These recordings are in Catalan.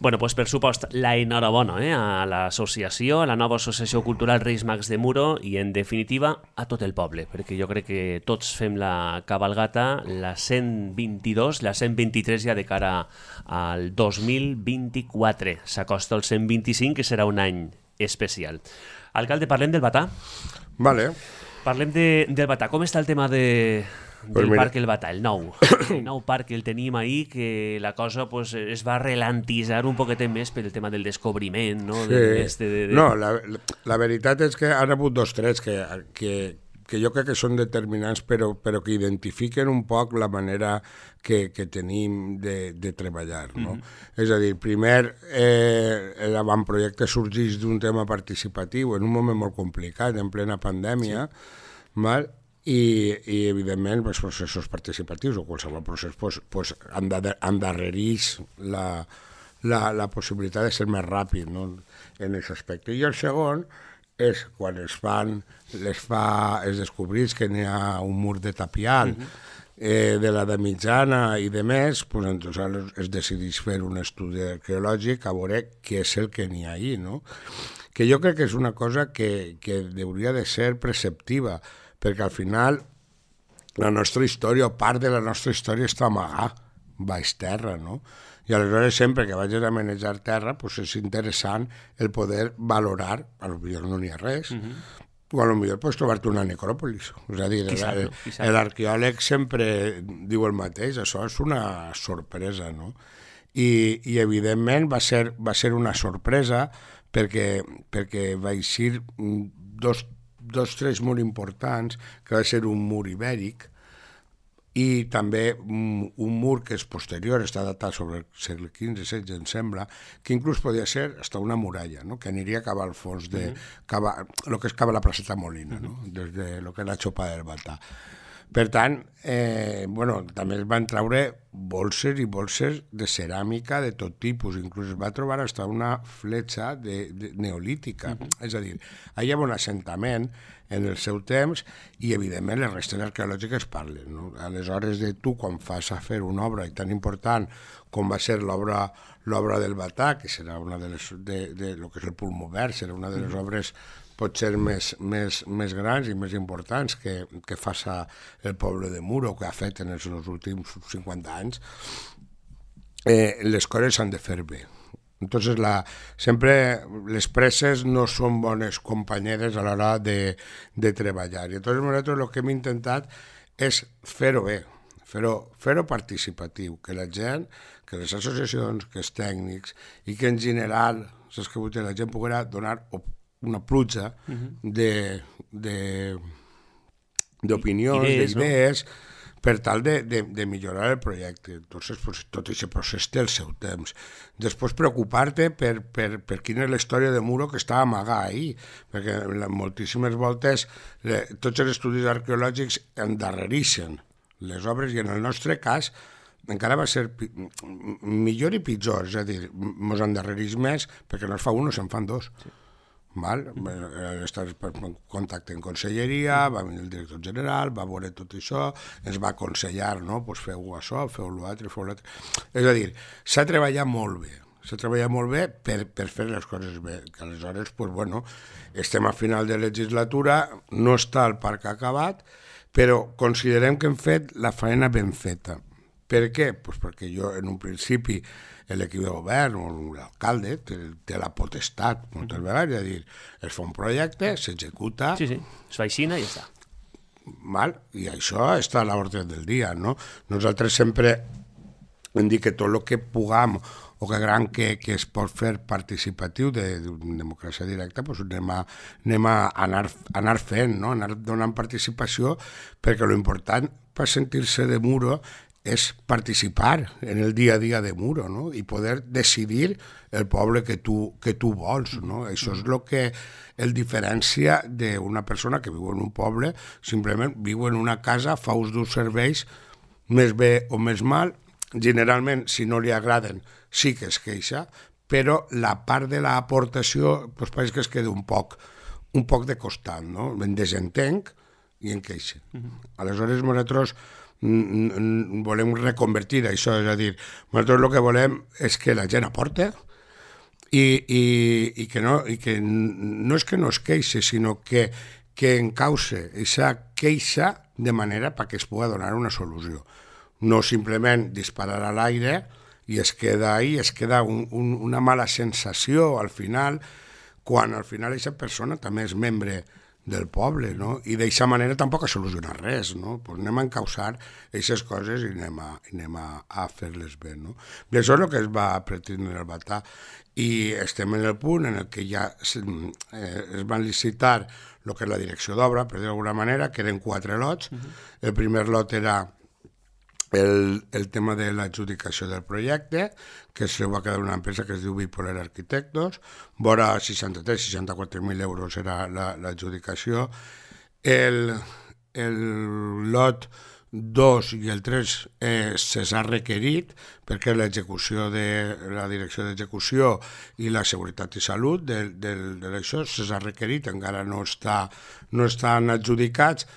Bueno, pues per supost, la enhorabona a l'associació, a la nova associació cultural Reis Mags de Muro i, en definitiva, a tot el poble, perquè jo crec que tots fem la cabalgata, la 122, la 123 ja de cara al 2024. S'acosta el 125, que serà un any especial. Alcalde, parlem del Batà? Vale. Parlem del Batà. Com està el tema del parc El Batà, el nou parc que el tenim ahir, que la cosa pues, es va relantitzar un poquet més pel tema del descobriment, no? Sí. No, la veritat és que han hagut dos trets que jo crec que són determinants, però que identifiquen un poc la manera que tenim de treballar, no? És a dir, primer, l'avantprojecte sorgeix d'un tema participatiu en un moment molt complicat, en plena pandèmia, val? I evidentment, els processos participatius o qualsevol procés endarrereix la possibilitat de ser més ràpid, no? En aquest aspecte. I el segon és quan es descobreix que n'hi ha un mur de tapial de l'edat mitjana i de més, doncs es decideix fer un estudi arqueològic a veure què és el que n'hi ha ahí, no? Que jo crec que és una cosa que hauria de ser preceptiva, perquè al final la nostra història, o part de la nostra història, està amagada baix terra, no? I aleshores sempre que vagis a manejar terra doncs és interessant el poder valorar, potser no n'hi ha res, o potser pots trobar-te una necròpolis. És a dir, l'arqueòleg sempre diu el mateix, això és una sorpresa, no? I evidentment va ser una sorpresa perquè va eixir dos trets molt importants, que va ser un mur ibèric i també un mur que és posterior, està datat sobre el segle XV-XVI, em sembla, que inclús podia ser hasta una muralla, no? Que aniria a cavar al fons el que és cava la placeta Molina, no? Des de lo que és la Xopa del Batà. Per tant, també es van treure bolses i bolses de ceràmica de tot tipus, inclús es va trobar fins una fletxa neolítica. És a dir, hi havia un assentament en el seu temps i, evidentment, les restes arqueològiques parlen, no? Aleshores, tu, quan fas a fer una obra tan important com va ser l'obra del Batà, que serà una de les, lo que és el Pulmó Verd, serà una de les obres potser més grans i més importants que fa el poble de Muro, que ha fet en els últims 50 anys, les coses s'han de fer bé. Entonces, sempre les presses no són bones companyeres a l'hora de treballar. I entonces nosaltres el que hem intentat és fer-ho bé, fer-ho participatiu, que la gent, que les associacions, que els tècnics i que en general, saps que la gent poguera donar una pluja d'opinions, d'idees, per tal de millorar el projecte. Entonces, tot aquest procés té el seu temps. Després, preocupar-te per quina és la història de Muro que està amagada ahí, perquè moltíssimes voltes tots els estudis arqueològics endarrereixen les obres i en el nostre cas encara va ser millor i pitjor, és a dir, ens endarrereix més perquè no es fa un, se'n fan dos. Estàs en contacte en conselleria, va venir el director general, va veure tot això, ens va aconsellar, no? Pues feu això, feu l'altre, feu l'altre. És a dir, s'ha treballat molt bé per fer les coses bé, que aleshores, estem a final de legislatura, no està el parc acabat, però considerem que hem fet la feina ben feta. Per què? Pues perquè jo, en un principi, l'equip de govern o l'alcalde té la potestat, moltes vegades, és a dir, es fa un projecte, s'executa... Sí, es fa així i ja està. I això està a l'ordre del dia, no? Nosaltres sempre hem dit que tot el que puguem o que es pot fer participatiu de democràcia directa, doncs anem a anar fent, no? Anar donant participació, perquè l'important per sentir-se de Muro és participar en el dia a dia de Muro, no? I poder decidir el poble que tu vols, no? Això és el que el diferencia d'una persona que viu en un poble, simplement viu en una casa, fa ús d'uns serveis, més bé o més mal, generalment, si no li agraden, sí que es queixa, però la part de l'aportació pareix que es queda un poc de costat, no? En desentenc i en queixa. Aleshores, nosaltres volem reconvertir això, és a dir, nosaltres el que volem és que la gent aporte i que no és que no es queixe, sinó que encauce aquesta queixa de manera perquè es pugui donar una solució. No simplement disparar a l'aire i es queda ahí, es queda una mala sensació al final, quan al final aquesta persona també és membre del poble, no? I d'aquesta manera tampoc ha solucionat res, no? Pues anem a encausar aquestes coses i anem a fer-les bé, no? I això és el que es va pretendre el Batà, i estem en el punt en el que ja es van licitar el que és la direcció d'obra, per dir d'alguna manera, que eren 4 lots. El primer lot era el tema de l'adjudicació del projecte, que se va quedar una empresa que es diu Bipolar Arquitectos, vora 63-64.000 euros era l'adjudicació. El lot 2 i el 3 se s'ha requerit perquè l'execució de la direcció d'execució i la seguretat i salut d'això se s'ha requerit, encara no estan adjudicats,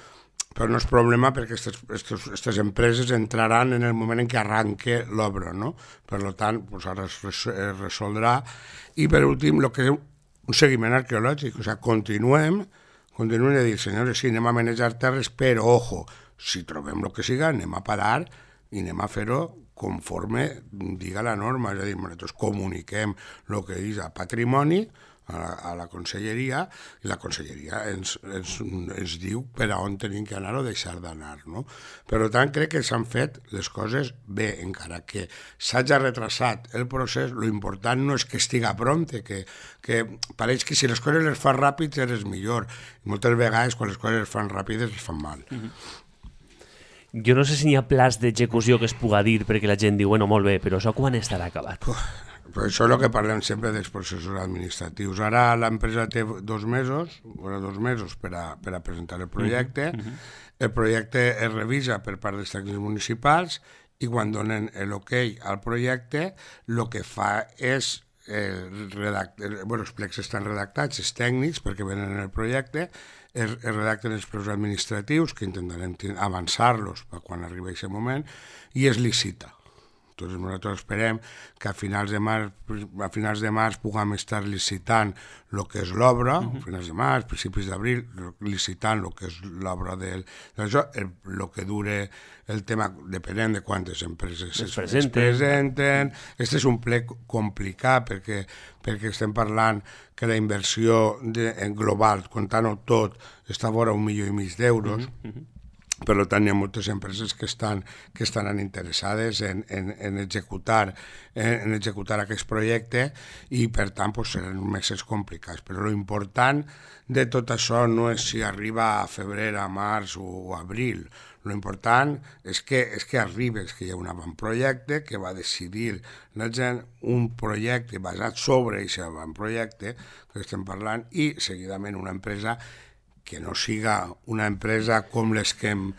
però no és problema perquè aquestes empreses entraran en el moment en què arranque l'obra, no? Per tant, pues ara es resoldrà. I per últim, el que és un seguiment arqueològic, o sigui, continuem a dir, senyores, sí, anem a manejar terres, però, ojo, si trobem el que siga, anem a parar i anem a fer-ho conforme diga la norma, és a dir, nosaltres comuniquem el que és a patrimoni, a la conselleria, i la conselleria ens diu per a on tenim que anar o deixar d'anar, no? Per tant, crec que s'han fet les coses bé, encara que s'hagi retrasat el procés, l'important no és que estiga prompte, que pareix que si les coses les fas ràpid eres millor, i moltes vegades quan les coses es fan ràpides es fan mal. Jo no sé si n'hi ha plans d'execució que es puga dir perquè la gent diu, bueno, molt bé, però això quan estarà acabat? Però això és el que parlem sempre dels processos administratius. Ara l'empresa té 2 mesos per a presentar el projecte. El projecte es revisa per part dels tècnics municipals i quan donen l'ok al projecte, el que fa és els plecs estan redactats, els tècnics, perquè venen en el projecte, es redacten els preus administratius, que intentarem avançar-los per quan arribi aquest moment, i es licita. Entonces nosaltres esperem que a finals de març puguem estar licitant el que és l'obra, a finals de març, principis d'abril, licitant el que és l'obra d'això, el que dure el tema, depenent de quantes empreses es presenten. Este és un plec complicat perquè estem parlant que la inversió global, comptant-ho tot, està vora 1,5 milió d'euros. Per tant, hi ha moltes empreses que estan interessades en executar aquest projecte i, per tant, seran mesos complicats. Però l'important de tot això no és si arriba a febrer, a març o a abril. L'important és que arribi, és que hi ha un avantprojecte que va decidir la gent, un projecte basat sobre aquest avantprojecte que estem parlant, i seguidament una empresa que no siga una empresa com les que hem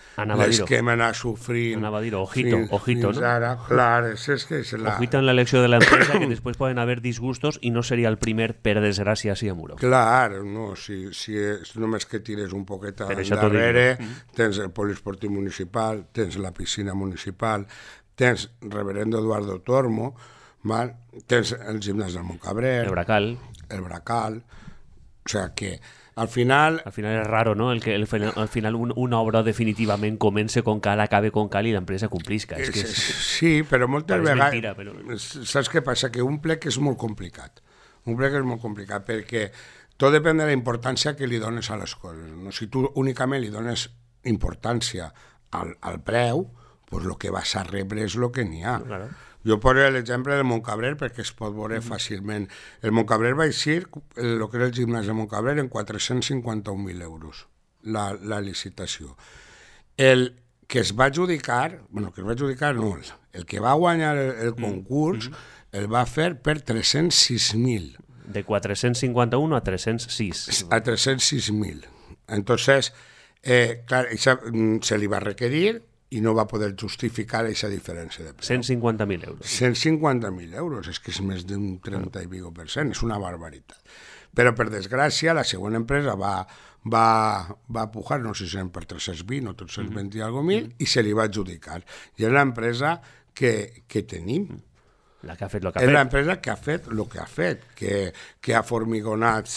anat sofrint. Anava a dir, ojito, no? Ara, clar, és que és la... Ojito en l'elecció de l'empresa, que després poden haver disgustos i no seria el primer, per desgràcia, a Muro. Clar, no, si és només que tires un poquet darrere, tens el poliesportiu municipal, tens la piscina municipal, tens Reverendo Eduardo Tormo, tens el gimnàs del Montcabrera, el Bracal, o sigui que al final és raro, no? Al final una obra definitivament comença com cal, acabe com cal i l'empresa complisca. Sí, però moltes vegades... Saps què passa? Que un plec és molt complicat. Perquè tot depèn de la importància que li dones a les coses. No? Si tu únicament li dones importància al preu, doncs el que vas a rebre és el que n'hi ha. Claro. Jo poso l'exemple del Montcabrer perquè es pot veure fàcilment. El Montcabrer va eixir, el que era el gimnàs de Montcabrer, en 451.000 euros, la licitació. El que es va adjudicar, el que va guanyar el concurs, el va fer per 306.000. De 451 a 306. A 306.000. Entonces, clar, se li va requerir i no va poder justificar aquesta diferència de preu. 150.000 euros. 150.000 euros, és que és més d'un 30 i pico per cent, és una barbaritat. Però, per desgràcia, la següent empresa va pujar, no sé si eren per 320 o 320 i alguna mil, i se li va adjudicar. I és l'empresa que tenim. La que ha fet el que ha fet. És l'empresa que ha fet el que ha fet, que ha formigonat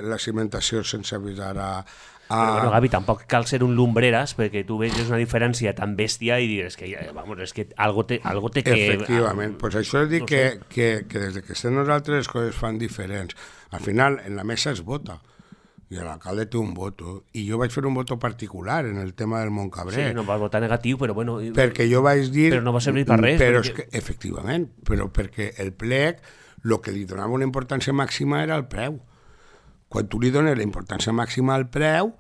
la cimentació sense avisar a... Però bueno, Gavi, tampoc cal ser un lumbreras perquè tu veges una diferència tan bèstia i dius que, vamos, és que algo té que... Efectivament, pues això és dir que des que estem nosaltres les coses fan diferents. Al final, en la mesa es vota, i l'alcalde té un voto, i jo vaig fer un voto particular en el tema del Montcabrer. Sí, no vas votar negatiu, però bueno... Perquè jo vaig dir... Però no va servir per res. Però és que, efectivament, però perquè el plec, el que li donava una importància màxima era el preu. Quan tu li dones la importància màxima al preu,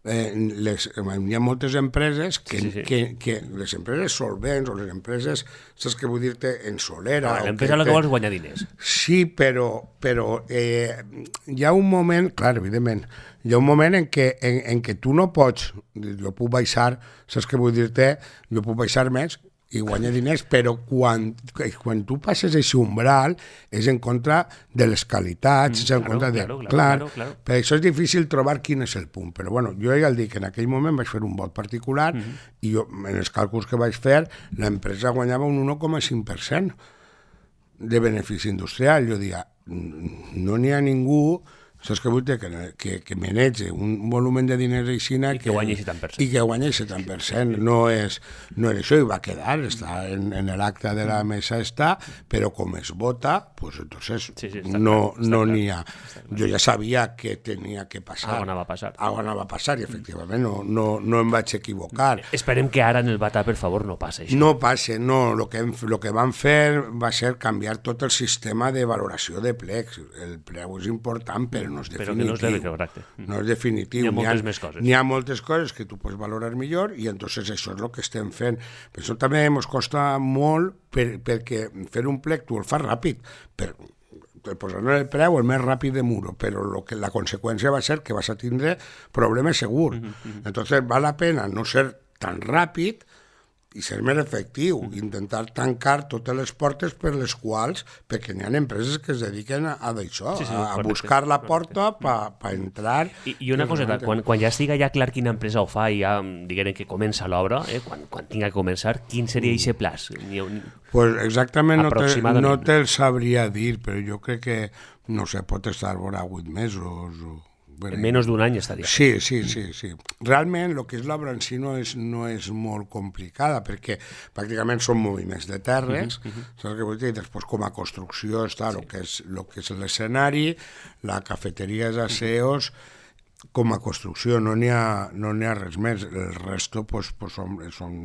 hi ha moltes empreses que les empreses solvents o les empreses, saps què vull dir-te, en solera... L'empresa el que vols guanyar diners. Sí, però hi ha un moment, clar, evidentment, hi ha un moment en què tu no pots, jo puc baixar, saps què vull dir-te, jo puc baixar més i guanyar diners, però quan tu passes aquest umbral és en contra de les qualitats, és en contra de... Claro. Per això és difícil trobar quin és el punt, però bueno, jo ja el dic, en aquell moment vaig fer un vot particular i jo, en els càlculs que vaig fer, l'empresa guanyava un 1,5% de benefici industrial. Jo diria, no n'hi ha ningú, saps què vull dir? Que manegi un volum de diners aixina i que guanyi 70%. I que guanyi 70%. No és això, i va quedar, està en l'acte de la mesa, però com es vota, pues entonces no n'hi ha. Jo ja sabia que tenia que passar. Algo anava a passar. Algo anava a passar, i efectivament no em vaig equivocar. Esperem que ara en el Batà, per favor, no passi això. No passe, no. El que van fer va ser canviar tot el sistema de valoració de plecs. El preu és important, però no és definitiu. Però que no és correcte. No és definitiu. Hi ha moltes més coses. N'hi ha moltes coses que tu pots valorar millor i entonces això és el que estem fent. Per això també ens costa molt perquè fer un plec tu el fas ràpid, posant el preu el més ràpid de Muro, però la conseqüència va ser que vas a tindre problemes segur. Entonces val la pena no ser tan ràpid i ser més efectiu, intentar tancar totes les portes per les quals, perquè n'hi ha empreses que es dediquen a d'això, a buscar la porta per entrar... I una coseta, quan ja estiga ja clar quina empresa ho fa i ja diguem que comença l'obra, quan tinga que començar, quin seria aquest plaç? Pues exactament no te'l sabria dir, però jo crec que, no sé, pot estar vora 8 mesos o... En menys d'un any estaria. Sí. Realment, el que és l'obra en si no és molt complicada, perquè pràcticament són moviments de terres, saps què vull dir? Després, com a construcció, està el que és l'escenari, la cafeteria és aseos, com a construcció no n'hi ha res més. El resto són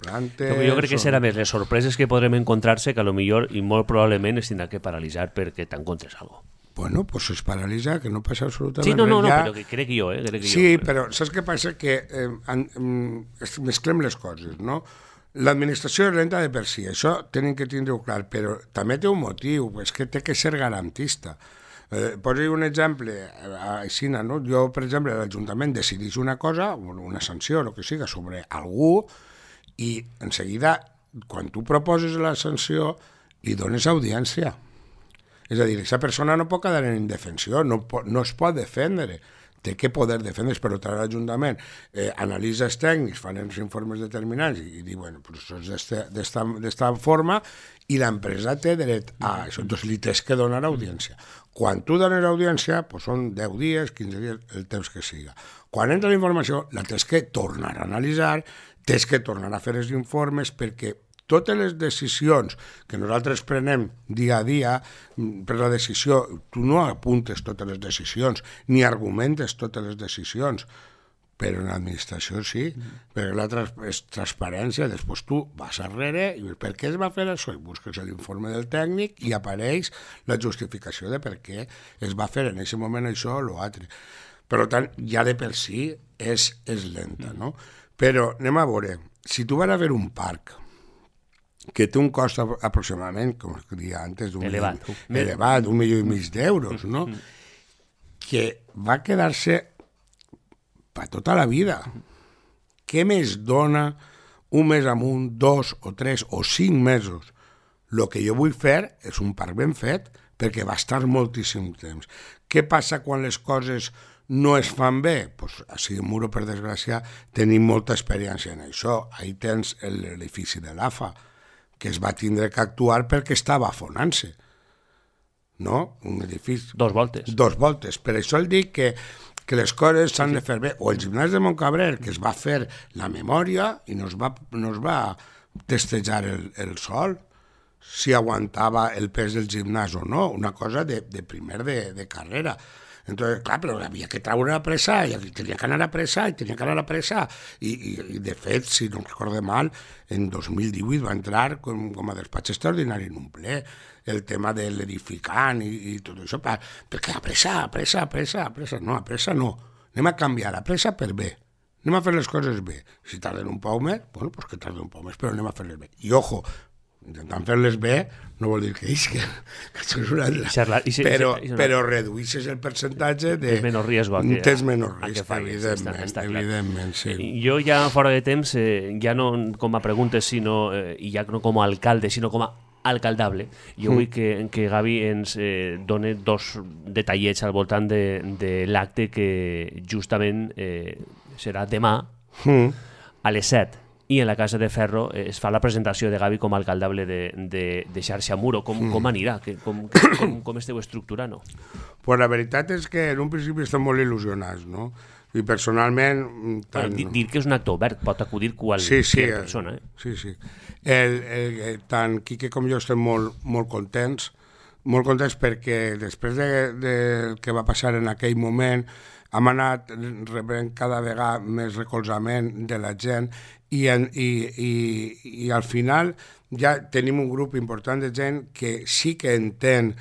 plantes... Jo crec que serà més les sorpreses que podrem encontrar-se que potser i molt probablement es tindrà que paralitzar perquè t'encontres alguna cosa. Bueno, pues es paralitza, que no passa absolutament res. Sí, no, ja. Però que crec jo, Sí, però saps què passa? Que mesclem les coses, no? L'administració és lenta de per si, això tenen que tindre-ho clar, però també té un motiu, és que té que ser garantista. Poso un exemple, així, no? Jo, per exemple, l'Ajuntament decideix una cosa, una sanció, el que siga, sobre algú, i en seguida, quan tu proposes la sanció, li dones audiència. És a dir, aquesta persona no pot quedar en indefensió, no es pot defendre, té que poder defendre's, però l'Ajuntament analitza els tècnics, fan els informes determinants i diu, bueno, pues això és d'esta forma i l'empresa té dret a això, doncs li tens que donar audiència. Quan tu dones audiència, pues són 10 dies, 15 dies, el temps que siga. Quan entra la informació, la tens que tornar a analitzar, tens que tornar a fer els informes perquè totes les decisions que nosaltres prenem dia a dia per la decisió, tu no apuntes totes les decisions, ni argumentes totes les decisions, però en l'administració sí, perquè l'altra és transparència, després tu vas arrere i per què es va fer això? I busques l'informe del tècnic i apareix la justificació de per què es va fer en aquest moment això o l'altre. Per tant, ja de per si és lenta, no? Però anem a veure, si tu vas a veure un parc que té un cost aproximadament, com es deia antes, elevat, $1,5 milió, no? Que va quedar-se per tota la vida. Què més dona un mes amunt, 2 o 3 o 5 mesos. El que jo vull fer és un parc ben fet perquè va estar moltíssim temps. Què passa quan les coses no es fan bé? Pues a Sidemuro, per desgràcia, tenim molta experiència en això. Ahí tens l'edifici de l'AFA, que es va tindre que actuar perquè estava afonant-se. No? Un edifici... 2 voltes. 2 voltes. Per això el dic que les coses s'han de fer bé. O el gimnàs de Montcabrer, que es va fer la memòria i no es va testejar el sòl, si aguantava el pes del gimnàs o no, una cosa de primer de carrera. Entonces, clar, però havia que treure a pressa, i tenia que anar a pressa, i de fet, si no recordo mal, en 2018 va entrar com a despatx extraordinari en un ple el tema de l'edificant i tot això, perquè a pressa, no, anem a canviar a pressa per bé, anem a fer les coses bé, si tarden un poc més, bueno, pues que tarden un poc més, però anem a fer-les bé, i ojo, intentant fer-les bé no vol dir que això és una altra, però reduïssis el percentatge de... Tens menys riesgo. Tens menys risc, evidentment, sí. Jo ja fora de temps, ja no com a preguntes, sinó, i ja no com a alcalde, sinó com a alcaldable, jo vull que Gavi ens doni 2 detallets al voltant de l'acte que justament serà demà a les 7. I en la Casa de Ferro es fa la presentació de Gavi com a alcaldable de Xarxa Muro. Com anirà? Com esteu estructurant? Pues la veritat és que en un principi estem molt il·lusionats, no? I personalment... Dir que és un acte obert, pot acudir qualsevol persona. Sí. Tant Quique com jo estem molt contents perquè després del que va passar en aquell moment hem anat rebent cada vegada més recolzament de la gent i al final ja tenim un grup important de gent que sí que entén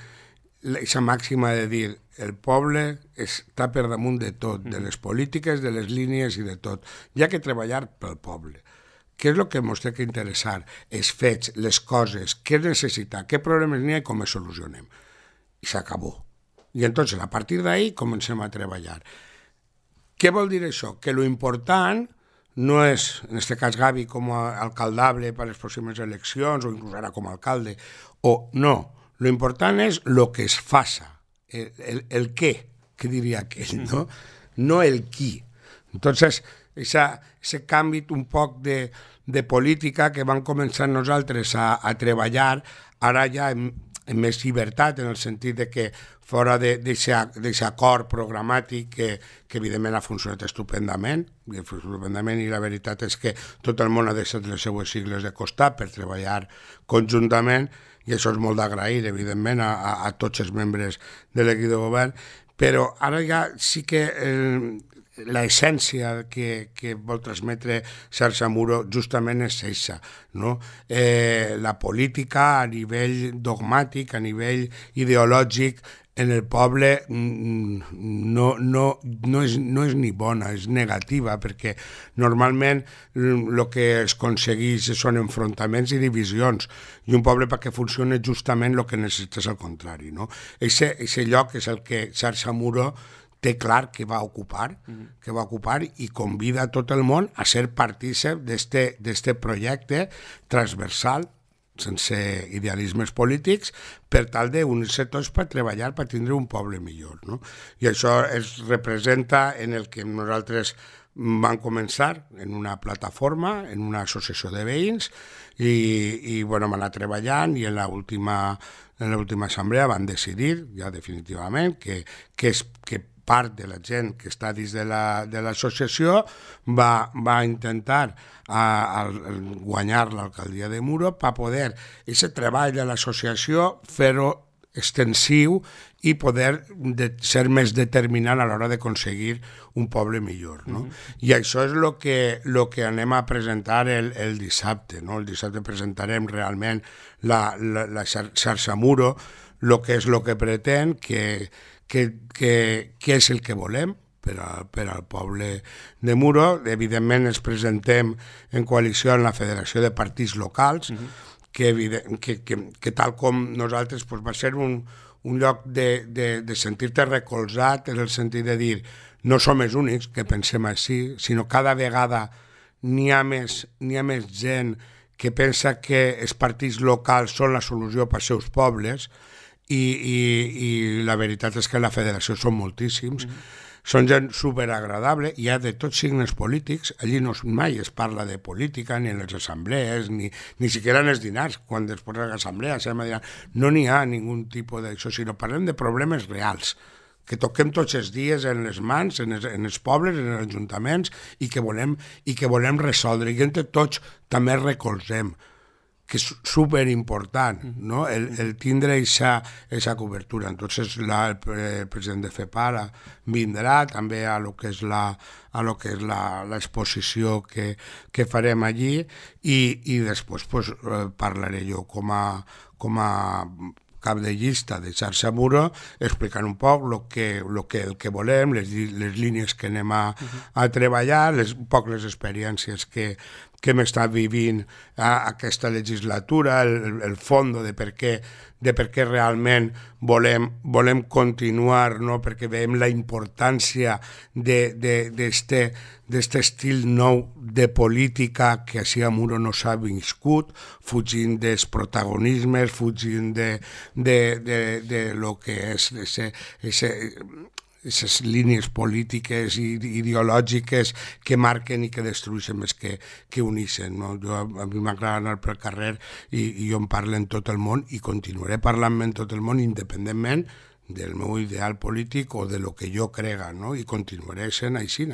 aquesta màxima de dir el poble està per damunt de tot, de les polítiques, de les línies i de tot. Hi ha que treballar pel poble. Què és el que ens té que interessar? Els fets, les coses, què es necessita, què problemes n'hi ha i com es solucionem. I s'acabó. I entonces, a partir d'ahí, comencem a treballar. Què vol dir això? Que lo important no és, en aquest cas Gavi com a alcaldable per a les pròximes eleccions o inclús ara com a alcalde, o no, lo important és lo que es faça, el què, que diria aquell, no? No el qui. Entonces, ese canvi un poc de política que vam començar nosaltres a treballar, ara ja amb més llibertat, en el sentit de que fora d'aquest acord programàtic que evidentment ha funcionat estupendament, i la veritat és que tot el món ha deixat les seues sigles de costat per treballar conjuntament, i això és molt d'agrair, evidentment, a tots els membres de l'equip de govern, però ara ja sí que l'essència que vol transmetre Xarxa Muro justament és aquesta, no? La política a nivell dogmàtic, a nivell ideològic, en el poble no és ni bona, és negativa, perquè normalment el que es aconsegueix són enfrontaments i divisions, i un poble perquè funcioni justament el que necessita és el contrari, no? Ese lloc és el que Xarxa Muro té clar que va ocupar i convida a tot el món a ser partícip d'este projecte transversal, sense idealismes polítics, per tal d'unir-se tots per treballar, per tindre un poble millor, no? I això es representa en el que nosaltres vam començar en una plataforma, en una associació de veïns, i bueno, vam anar treballant, i en l'última assemblea van decidir, ja definitivament, que part de la gent que està dins de l'associació va intentar guanyar l'alcaldia de Muro per poder aquest treball de l'associació fer-ho extensiu i poder ser més determinant a l'hora d'aconseguir un poble millor, no? I això és el que anem a presentar el dissabte, no? El dissabte presentarem realment la Xarxa Muro, el que és el que pretén, què és el que volem per al poble de Muro. Evidentment ens presentem en coalició amb la Federació de Partits Locals, que tal com nosaltres va ser un lloc de sentir-te recolzat, en el sentit de dir no som els únics que pensem així, sinó cada vegada n'hi ha més gent que pensa que els partits locals són la solució per als seus pobles i la veritat és que la federació són moltíssims. Són gent superagradable, hi ha de tots signes polítics, allí mai es parla de política, ni en les assemblees, ni siquiera en els dinars, quan després de l'assemblea no n'hi ha ningú tipus d'això, sinó parlem de problemes reals, que toquem tots els dies en les mans, en els pobles, en els ajuntaments, i que volem resoldre, i entre tots també recolzem, que és superimportant, no? el tindre aquesta cobertura. Entonces el president de FEPARA vindrà també a lo que és l'exposició que farem allí i després pues, parlaré jo com a cap de llista de xarxa Muro, explicant un poc el que volem, les línies que anem a treballar, un poc les experiències que hem estat vivint aquesta legislatura, el fons de per què realment volem continuar, no? Perquè veiem la importància d'aquest estil nou de política que així a Muro no s'ha viscut, fugint dels protagonismes, fugint de lo que és aquestes línies polítiques i ideològiques que marquen i que destrueixen més que uneixen. No? A mi m'agrada anar pel carrer i jo en parlo en tot el món i continuaré parlant en tot el món independentment del meu ideal polític o de lo que jo crega, no? I continuaré sent així.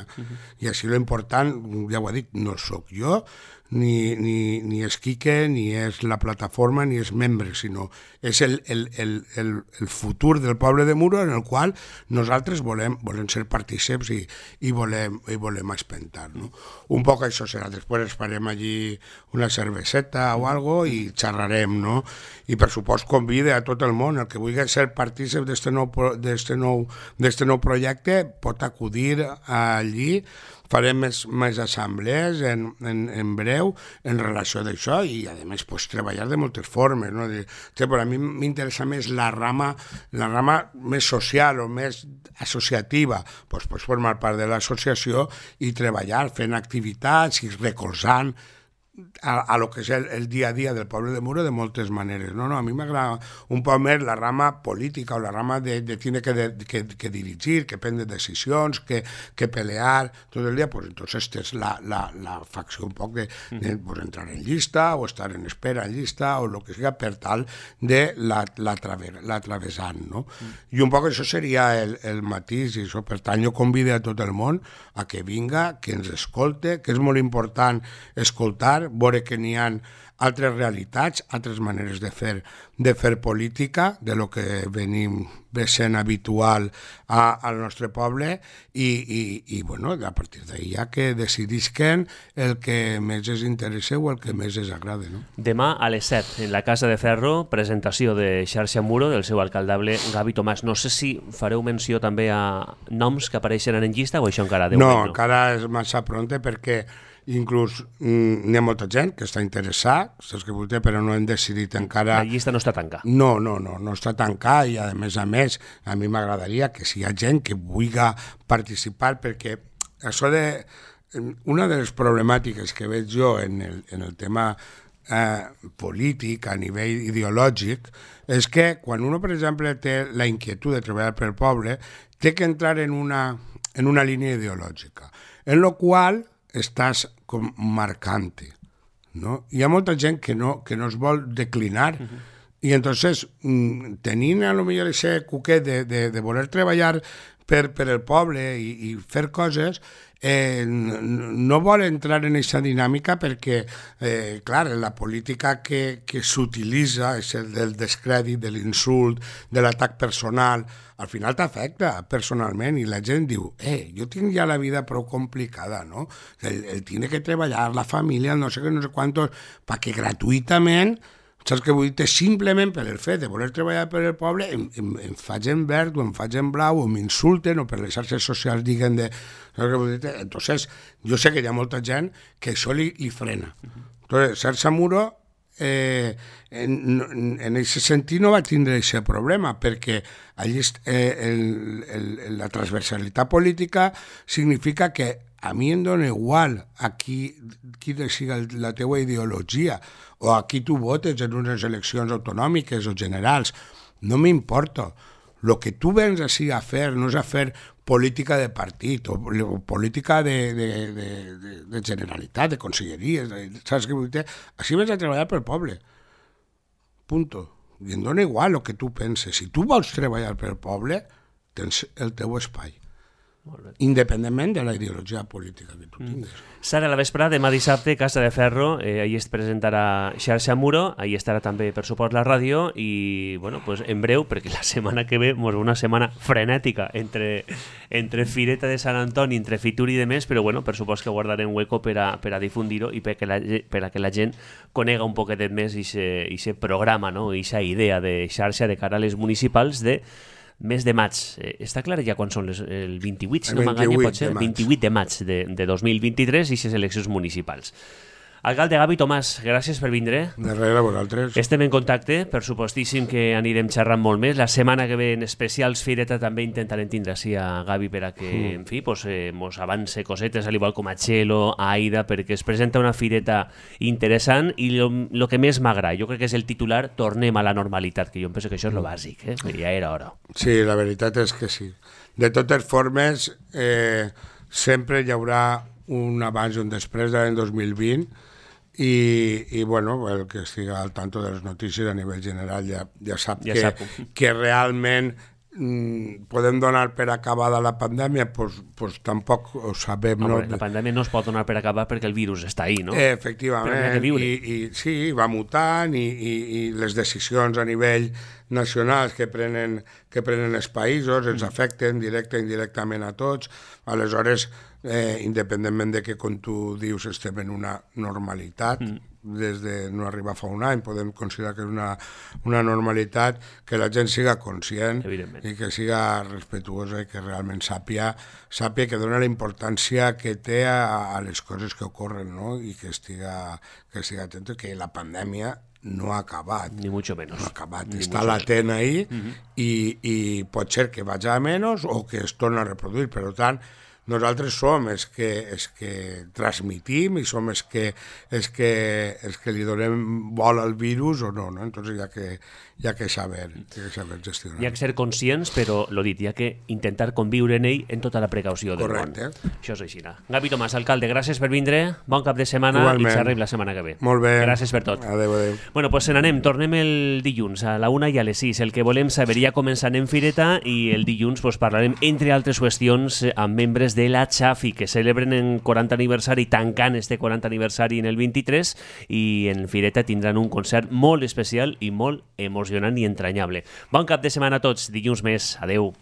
I així l'important, ja ho he dit, no sóc jo, ni és Quique, ni és la plataforma, ni és membre, sinó és el futur del poble de Muro en el qual nosaltres volem ser partíceps i volem espentar. No? Un poc això serà. Després farem allí una cerveseta o algo i xerrarem, no? I per supost convide a tot el món, el que vulgui ser partícep d'este nou projecte pot acudir allí. Farem més assemblees en breu en relació d'això i, a més, pues, treballar de moltes formes. No? Però a mi m'interessa més la rama més social o més associativa. Pues, formar part de l'associació i treballar fent activitats i recolzant a lo que és el dia a dia del poble de Muro de moltes maneres. No, a mi m'agrada un poc més la rama política o la rama de tindre que dirigir, que prendre decisions, que pelear tot el dia. Pues entonces és la facció un poc de pues, entrar en llista o estar en espera en llista o el que sigui per tal de l'atravessant. No? I un poc això seria el matís i això. Per tant, jo convido a tot el món a que vinga, que ens escolte, que és molt important escoltar, veure que n'hi ha altres realitats, altres maneres de fer política, de lo que venim sent habitual al nostre poble i bueno, a partir d'ahí ja que decidisquen el que més els interessa o el que més els agrada. No? Demà a les 7, en la Casa de Ferro, presentació de Xarxa Muro del seu alcaldable Gavi Tomàs. No sé si fareu menció també a noms que apareixen en llista o això encara de moment no? Encara és massa pronte perquè inclús n'hi ha molta gent que està interessada, però no hem decidit encara... La llista no està tancada. No està tancada i a més a mi m'agradaria que si hi ha gent que vulgui participar perquè això una de les problemàtiques que veig jo en el tema polític a nivell ideològic és que quan uno, per exemple, té la inquietud de treballar pel poble, té que entrar en una línia ideològica, en la qual estàs com marcant-te, no? Hi ha molta gent que no es vol declinar i entonces tenint a lo millor aquest cuquet de voler treballar per el poble i fer coses no vol entrar en aquesta dinàmica perquè, clar, la política que s'utilitza és el del descrèdit, de l'insult, de l'atac personal, al final t'afecta personalment i la gent diu, jo tinc ja la vida prou complicada, no? El tiene que treballar, la família, no sé què, no sé quantos, perquè gratuïtament, saps què vull dir? Simplement per el fet de voler treballar per el poble em faig en verd o em faig en blau o m'insulten o per les xarxes socials diguen de... Entonces, jo sé que hi ha molta gent que això li frena. Entonces, Xarxa Muro en aquest sentit no va tindre aquest problema perquè allí la transversalitat política significa que a mi em dona igual a qui siga la teua ideologia o a qui tu votes en unes eleccions autonòmiques o generals. No m'importa. Lo que tu vens així a fer no és a fer política de partit o política de generalitat, de conselleries, saps què vull dir? Així vens a treballar pel poble. Punto. I em dona igual el que tu penses. Si tu vols treballar pel poble, tens el teu espai. Independentment de la ideologia política que tu tinguis. Sara, a la vesprada, demà dissabte, Casa de Ferro, ahir es presentarà Xarxa Muro, ahir estarà també, per suport, la ràdio, i, bueno, pues, en breu, perquè la setmana que ve és una setmana frenètica entre Fireta de Sant Antoni, entre Fitur i de més, però, bueno, per suport que guardarem hueco per a difundir-ho i per a que la gent conega un poquet més aquest programa, no? Aquesta idea de xarxa de cara a les municipals de mes de maig. Està clar ja quan són el 28, si no m'enganya, pot ser? 28 de maig de 2023 i les eleccions municipals. Alcalde Gavi Tomàs, gràcies per vindre. De res, a vosaltres. Estem en contacte, per supostíssim que anirem xerrant molt més. La setmana que ve en especials Fireta també intentarem tindre així a Gavi per a que, en fi, mos avance cosetes, al igual com a Txelo, a Aida, perquè es presenta una Fireta interessant i el que més m'agrada, jo crec que és el titular, tornem a la normalitat, que jo penso que això és el bàsic, ja era hora. Sí, la veritat és que sí. De totes formes, sempre hi haurà un abans i un després de l'any 2020 i bueno, el que estigui al tanto de les notícies a nivell general ja sap que realment podem donar per acabada la pandèmia, pues tampoc ho sabem. Home, la pandèmia no es pot donar per acabar perquè el virus està ahí, no? Efectivament, i sí, va mutant i les decisions a nivell nacionals que prenen els països ens afecten directe i indirectament a tots. Aleshores, independentment de que, com tu dius, estem en una normalitat, des de no arribar fa un any, podem considerar que és una normalitat, que la gent siga conscient i que siga respetuosa i que realment sàpia que dona la importància que té a les coses que ocorren, no? I que estiga atent que la pandèmia no ha acabat. Ni mucho menos. No ha acabat. Està latent ahí i pot ser que vagi a menys o que es torni a reproduir. Per tant, nosaltres som els que transmitim i som els que li donem vol al virus o no? Entonces hi ha que saber gestionar. Hi ha que ser conscients, però, lo dit, hi ha que intentar conviure en ell en tota la precaució del món. Això és així. Gavi Tomàs, alcalde, gràcies per vindre, bon cap de setmana. Igualment. I xerrem la setmana que ve. Molt bé. Gràcies per tot. Adéu. Bueno, pues se n'anem, tornem el dilluns a la 1 i a les 6. El que volem saber ja començant en Fireta i el dilluns pues, parlarem, entre altres qüestions, amb membres de la Xafi, que celebren en 40 aniversari, tancant este 40 aniversari en el 23, i en Fireta tindran un concert molt especial i molt emocionant i entranyable. Bon cap de setmana a tots, dilluns més, adeu.